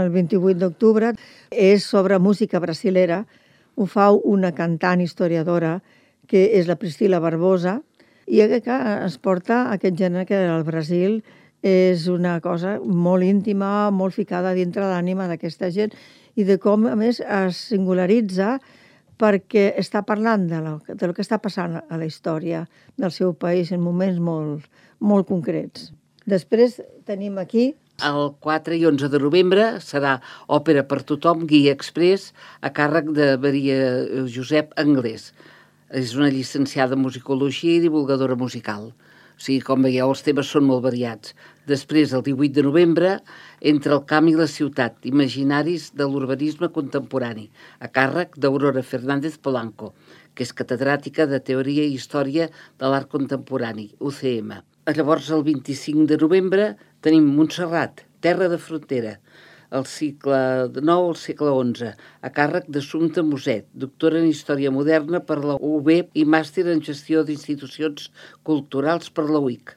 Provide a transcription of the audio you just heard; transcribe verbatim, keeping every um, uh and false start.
el vint-i-vuit d'octubre, és sobre música brasilera. Ho fa una cantant historiadora, que és la Priscila Barbosa, i que es porta aquest gènere que al Brasil és una cosa molt íntima, molt ficada dintre l'ànima d'aquesta gent, i de com, a més, es singularitza perquè està parlant de lo, de lo que està passant a la història del seu país en moments molt, molt concrets. Després tenim aquí... El quatre i onze de novembre serà Òpera per tothom, Guia Express, a càrrec de Maria Josep Anglès. És una llicenciada en musicologia i divulgadora musical. O sigui, com veieu, els temes són molt variats. Després, el divuit de novembre, Entre el camp i la ciutat, imaginaris de l'urbanisme contemporani, a càrrec d'Aurora Fernández Polanco, que és catedràtica de Teoria i Història de l'Art Contemporani, U C M. Llavors, el vint-i-cinc de novembre, tenim Montserrat, Terra de Frontera, el cicle nou al segle onze, a càrrec d'Assumpta Muset, doctora en Història Moderna per la U B i màster en Gestió d'Institucions Culturals per la U I C.